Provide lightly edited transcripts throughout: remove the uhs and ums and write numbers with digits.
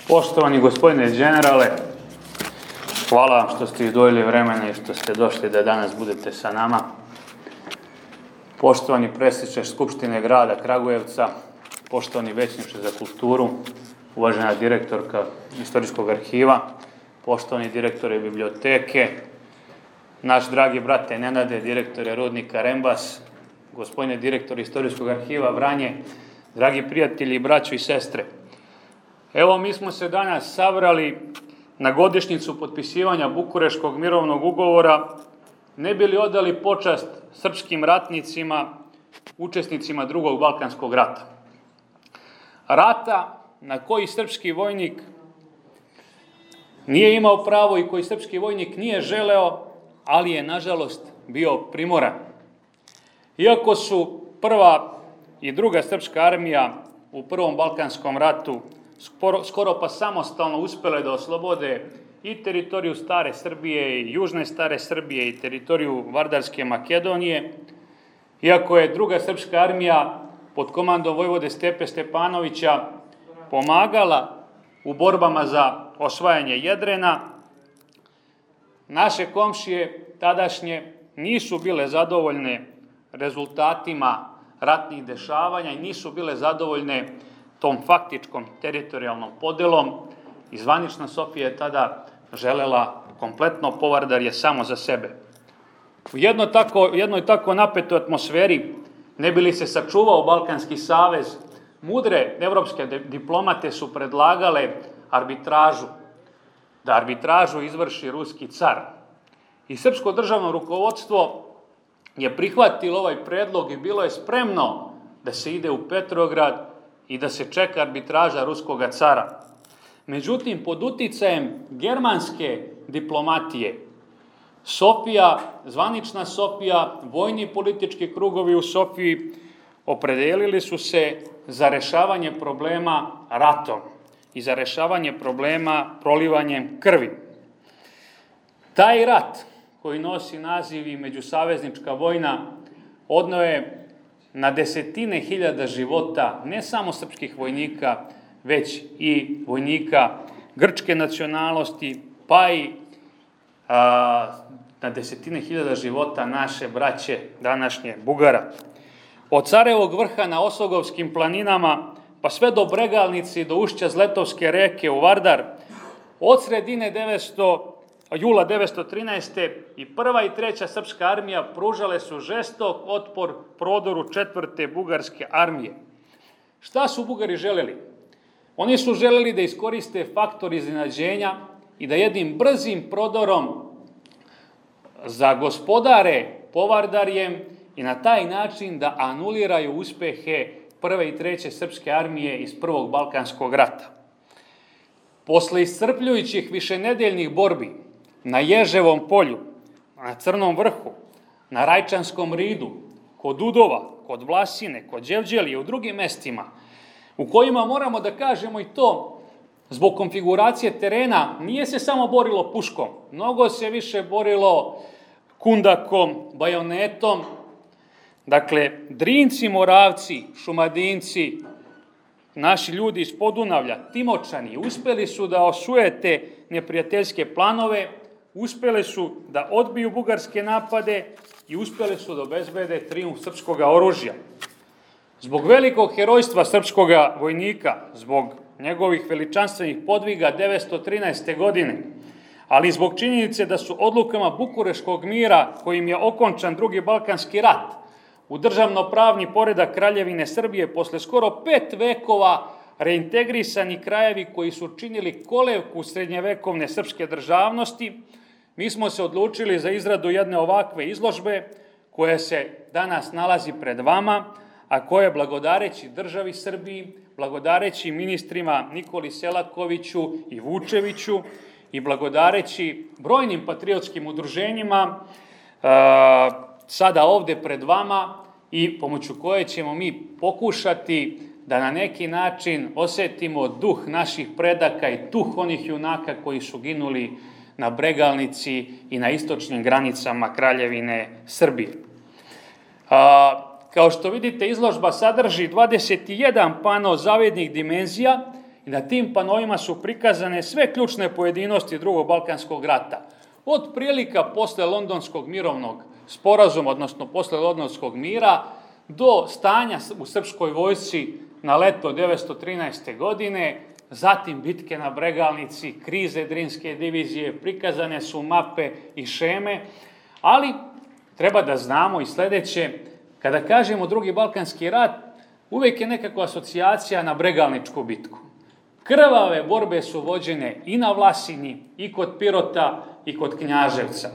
Poštovani gospodine generale, hvala vam što ste izdvojili vremena i što ste došli da danas budete sa nama. Poštovani predsjedniče Skupštine grada Kragujevca, poštovani većniče za kulturu, uvažena direktorka Istorijskog arhiva, poštovani direktore biblioteke, naš dragi brate Nenade, direktore Rudnika Rembas, gospodine direktore Istorijskog arhiva Vranje, dragi prijatelji, braćo i sestre. Evo, mi smo se danas sabrali na godišnjicu potpisivanja Bukureškog mirovnog ugovora, ne bi li odali počast srpskim ratnicima, učesnicima Drugog Balkanskog rata. Rata na koji srpski vojnik nije imao pravo i koji srpski vojnik nije želeo, ali je, nažalost, bio primoran. Iako su prva i druga srpska armija u Prvom Balkanskom ratu skoro pa samostalno uspjele da oslobode i teritoriju Stare Srbije i Južne Stare Srbije i teritoriju Vardarske Makedonije, iako je druga srpska armija pod komandom vojvode Stepe Stepanovića pomagala u borbama za osvajanje Jedrena, naše komšije tadašnje nisu bile zadovoljne rezultatima ratnih dešavanja i nisu bile zadovoljne tom faktičkom teritorijalnom podelom i zvanična Sofija je tada želela kompletno Povardarje samo za sebe. U jednoj tako napetoj atmosferi, ne bi li se sačuvao Balkanski savez, mudre evropske diplomate su predlagale arbitražu, da arbitražu izvrši ruski car. I srpsko državno rukovodstvo je prihvatilo ovaj predlog i bilo je spremno da se ide u Petrograd i da se čeka arbitraža ruskoga cara. Međutim, pod uticajem germanske diplomatije, Sofija, zvanična Sofija, vojni i politički krugovi u Sofiji opredelili su se za rešavanje problema ratom i za rešavanje problema prolivanjem krvi. Taj rat, koji nosi naziv i međusaveznička vojna, odneo je na desetine hiljada života, ne samo srpskih vojnika, već i vojnika grčke nacionalnosti, pa i na desetine hiljada života naše braće današnje Bugara. Od Carevog vrha na Osogovskim planinama, pa sve do Bregalnice i do ušća Zletovske reke u Vardar, od sredine jula 1913. i prva i treća srpska armija pružale su žestok otpor prodoru četvrte bugarske armije. Šta su Bugari želeli? Oni su želeli da iskoriste faktor iznenađenja i da jednim brzim prodorom zagospodare Povardarjem i na taj način da anuliraju uspehe prve i treće srpske armije iz Prvog Balkanskog rata. Posle iscrpljujućih višenedeljnih borbi na Ježevom polju, na Crnom vrhu, na Rajčanskom ridu, kod Udova, kod Vlasine, kod Đevđelije i u drugim mestima, u kojima moramo da kažemo i to, zbog konfiguracije terena, nije se samo borilo puškom, mnogo se više borilo kundakom, bajonetom. Dakle, Drinci, Moravci, Šumadinci, naši ljudi iz Podunavlja, Timočani, uspeli su da osujete neprijateljske planove, uspeli su da odbiju bugarske napade i uspeli su da obezbede trijumf srpskog oružja. Zbog velikog herojstva srpskog vojnika, zbog njegovih veličanstvenih podviga 913. godine, ali zbog činjenice da su odlukama Bukureškog mira, kojim je okončan Drugi Balkanski rat, u državno-pravni poredak Kraljevine Srbije posle skoro 5 vekova reintegrisani krajevi koji su činili kolevku srednjevekovne srpske državnosti, mi smo se odlučili za izradu jedne ovakve izložbe koja se danas nalazi pred vama, a koja blagodareći državi Srbiji, blagodareći ministrima Nikoli Selakoviću i Vučeviću i blagodareći brojnim patriotskim udruženjima sada ovde pred vama i pomoću koje ćemo mi pokušati da na neki način osetimo duh naših predaka i duh onih junaka koji su ginuli na Bregalnici i na istočnim granicama Kraljevine Srbije. Kao što vidite, izložba sadrži 21 pano zavidnih dimenzija i na tim panovima su prikazane sve ključne pojedinosti drugog Balkanskog rata. Od prilika posle Londonskog mirovnog sporazuma, odnosno posle Londonskog mira, do stanja u srpskoj vojsci na leto 1913. godine, zatim bitke na Bregalnici, krize Drinske divizije, prikazane su mape i šeme, ali treba da znamo i sledeće, kada kažemo drugi Balkanski rat, uvijek je nekakva asocijacija na Bregalničku bitku. Krvave borbe su vođene i na Vlasini, i kod Pirota, i kod Knjaževca.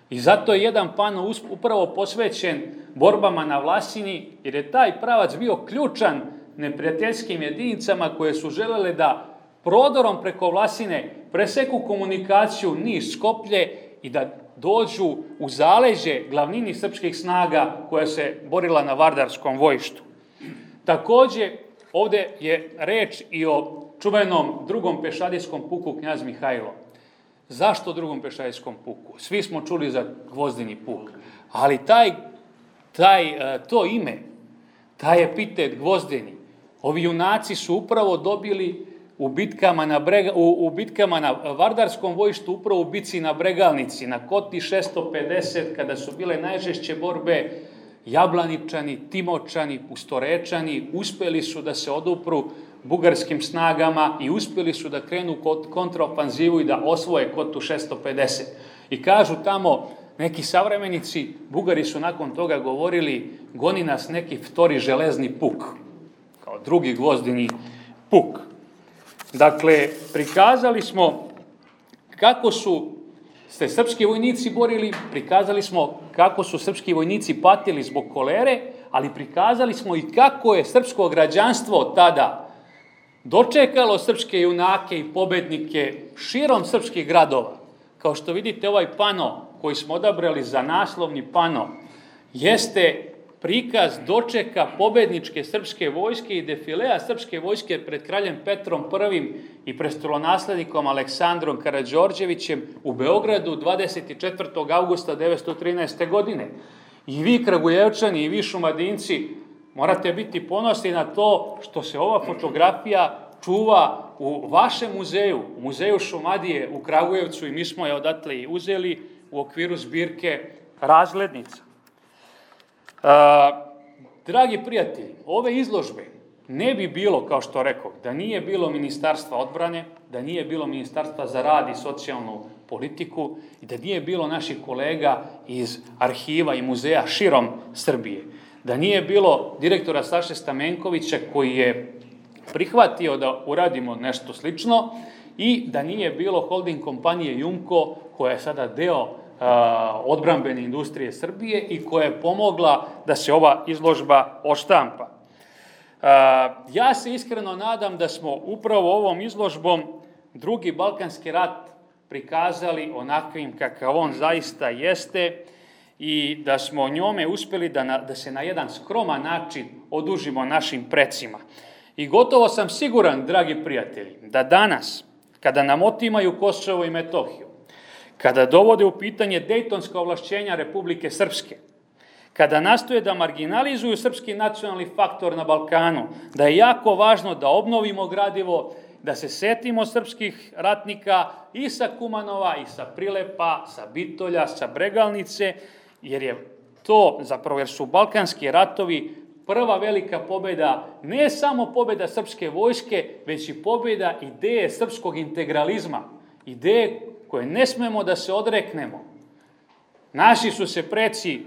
I zato je jedan pano upravo posvećen borbama na Vlasini, jer je taj pravac bio ključan neprijateljskim jedinicama koje su želele da prodorom preko Vlasine preseku komunikaciju Niš-Skoplje i da dođu u zaleđe glavnini srpskih snaga koja se borila na Vardarskom bojištu. Takođe, ovde je reč i o čuvenom drugom pešadijskom puku Knjaz Mihajlo. Zašto drugom pešadijskom puku? Svi smo čuli za Gvozdeni puk, ali to ime, taj epitet Gvozdeni, ovi junaci su upravo dobili u bitkama na Vardarskom bojištu, upravo u bitci na Bregalnici, na Koti 650, kada su bile najžešće borbe, Jablaničani, Timočani, Pustorečani uspeli su da se odupru bugarskim snagama i uspeli su da krenu kontraofanzivu i da osvoje Kotu 650. I kažu tamo neki savremenici, Bugari su nakon toga govorili, goni nas neki vtori železni puk, kao drugi Gvozdeni puk. Dakle, prikazali smo kako su se srpski vojnici borili, prikazali smo kako su srpski vojnici patili zbog kolere, ali prikazali smo i kako je srpsko građanstvo tada dočekalo srpske junake i pobednike širom srpskih gradova. Kao što vidite, ovaj pano koji smo odabrali za naslovni pano jeste prikaz dočeka pobedničke srpske vojske i defilea srpske vojske pred kraljem Petrom I i prestolonaslednikom Aleksandrom Karađorđevićem u Beogradu 24. augusta 1913. godine. I vi, Kragujevčani, i vi, Šumadinci, morate biti ponosni na to što se ova fotografija čuva u vašem muzeju, u muzeju Šumadije u Kragujevcu, i mi smo je odatle i uzeli u okviru zbirke Razglednica. Dragi prijatelji, ove izložbe ne bi bilo, kao što rekao, da nije bilo Ministarstva odbrane, da nije bilo Ministarstva za rad i socijalnu politiku i da nije bilo naših kolega iz arhiva i muzeja širom Srbije, da nije bilo direktora Saše Stamenkovića koji je prihvatio da uradimo nešto slično i da nije bilo holding kompanije Jumko koja je sada deo odbrambene industrije Srbije i koja je pomogla da se ova izložba oštampa. Ja se iskreno nadam da smo upravo ovom izložbom drugi Balkanski rat prikazali onakvim kakav on zaista jeste i da smo njome uspeli da se na jedan skroman način odužimo našim precima. I gotovo sam siguran, dragi prijatelji, da danas, kada nam otimaju Kosovo i Metohiju, kada dovode u pitanje dejtonska ovlašćenja Republike Srpske, kada nastoje da marginalizuju srpski nacionalni faktor na Balkanu, da je jako važno da obnovimo gradivo, da se setimo srpskih ratnika i sa Kumanova, i sa Prilepa, sa Bitolja, sa Bregalnice, jer su Balkanski ratovi prva velika pobjeda, ne samo pobjeda srpske vojske, već i pobjeda ideje srpskog integralizma, ideje koje ne smemo da se odreknemo. Naši su se preci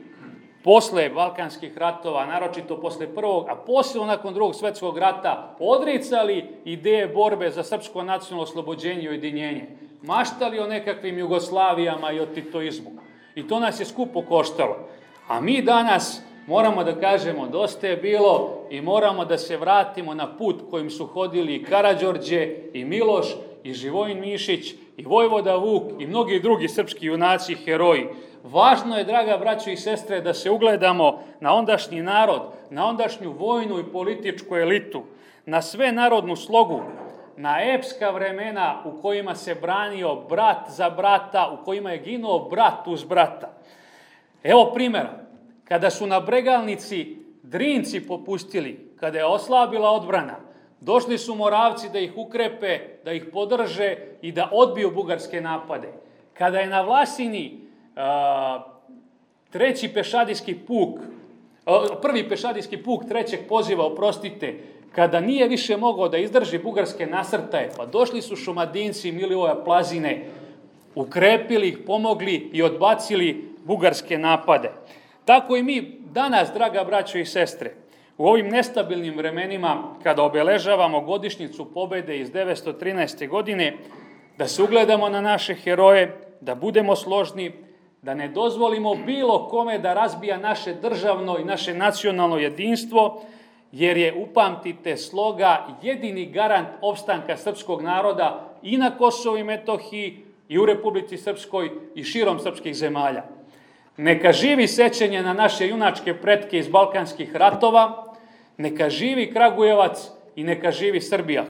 posle Balkanskih ratova, naročito posle prvog, a posle nakon drugog svetskog rata, odricali ideje borbe za srpsko nacionalno oslobođenje i ujedinjenje. Maštali o nekakvim Jugoslavijama i o titoizmu. I to nas je skupo koštalo. A mi danas moramo da kažemo dosta je bilo i moramo da se vratimo na put kojim su hodili i Karađorđe, i Miloš, i Živojin Mišić, i Vojvoda Vuk, i mnogi drugi srpski junaci i heroji. Važno je, draga braćo i sestre, da se ugledamo na ondašnji narod, na ondašnju vojnu i političku elitu, na sve narodnu slogu, na epska vremena u kojima se branio brat za brata, u kojima je ginuo brat uz brata. Evo primjera, kada su na Bregalnici Drinci popustili, kada je oslabila odbrana, Došli su Moravci da ih ukrepe, da ih podrže i da odbiju bugarske napade. Kada je na Vlasini prvi pešadijski puk trećeg poziva, kada nije više mogao da izdrži bugarske nasrtaje, pa došli su Šumadinci Milivoja Plazine, ukrepili ih, pomogli i odbacili bugarske napade. Tako i mi danas, draga braćo i sestre, u ovim nestabilnim vremenima, kada obeležavamo godišnjicu pobede iz 913. godine, da se ugledamo na naše heroje, da budemo složni, da ne dozvolimo bilo kome da razbija naše državno i naše nacionalno jedinstvo, jer je, upamtite, sloga jedini garant opstanka srpskog naroda i na Kosovu i Metohiji i u Republici Srpskoj i širom srpskih zemalja. Neka živi sećanje na naše junačke pretke iz balkanskih ratova, neka živi Kragujevac i neka živi Srbija.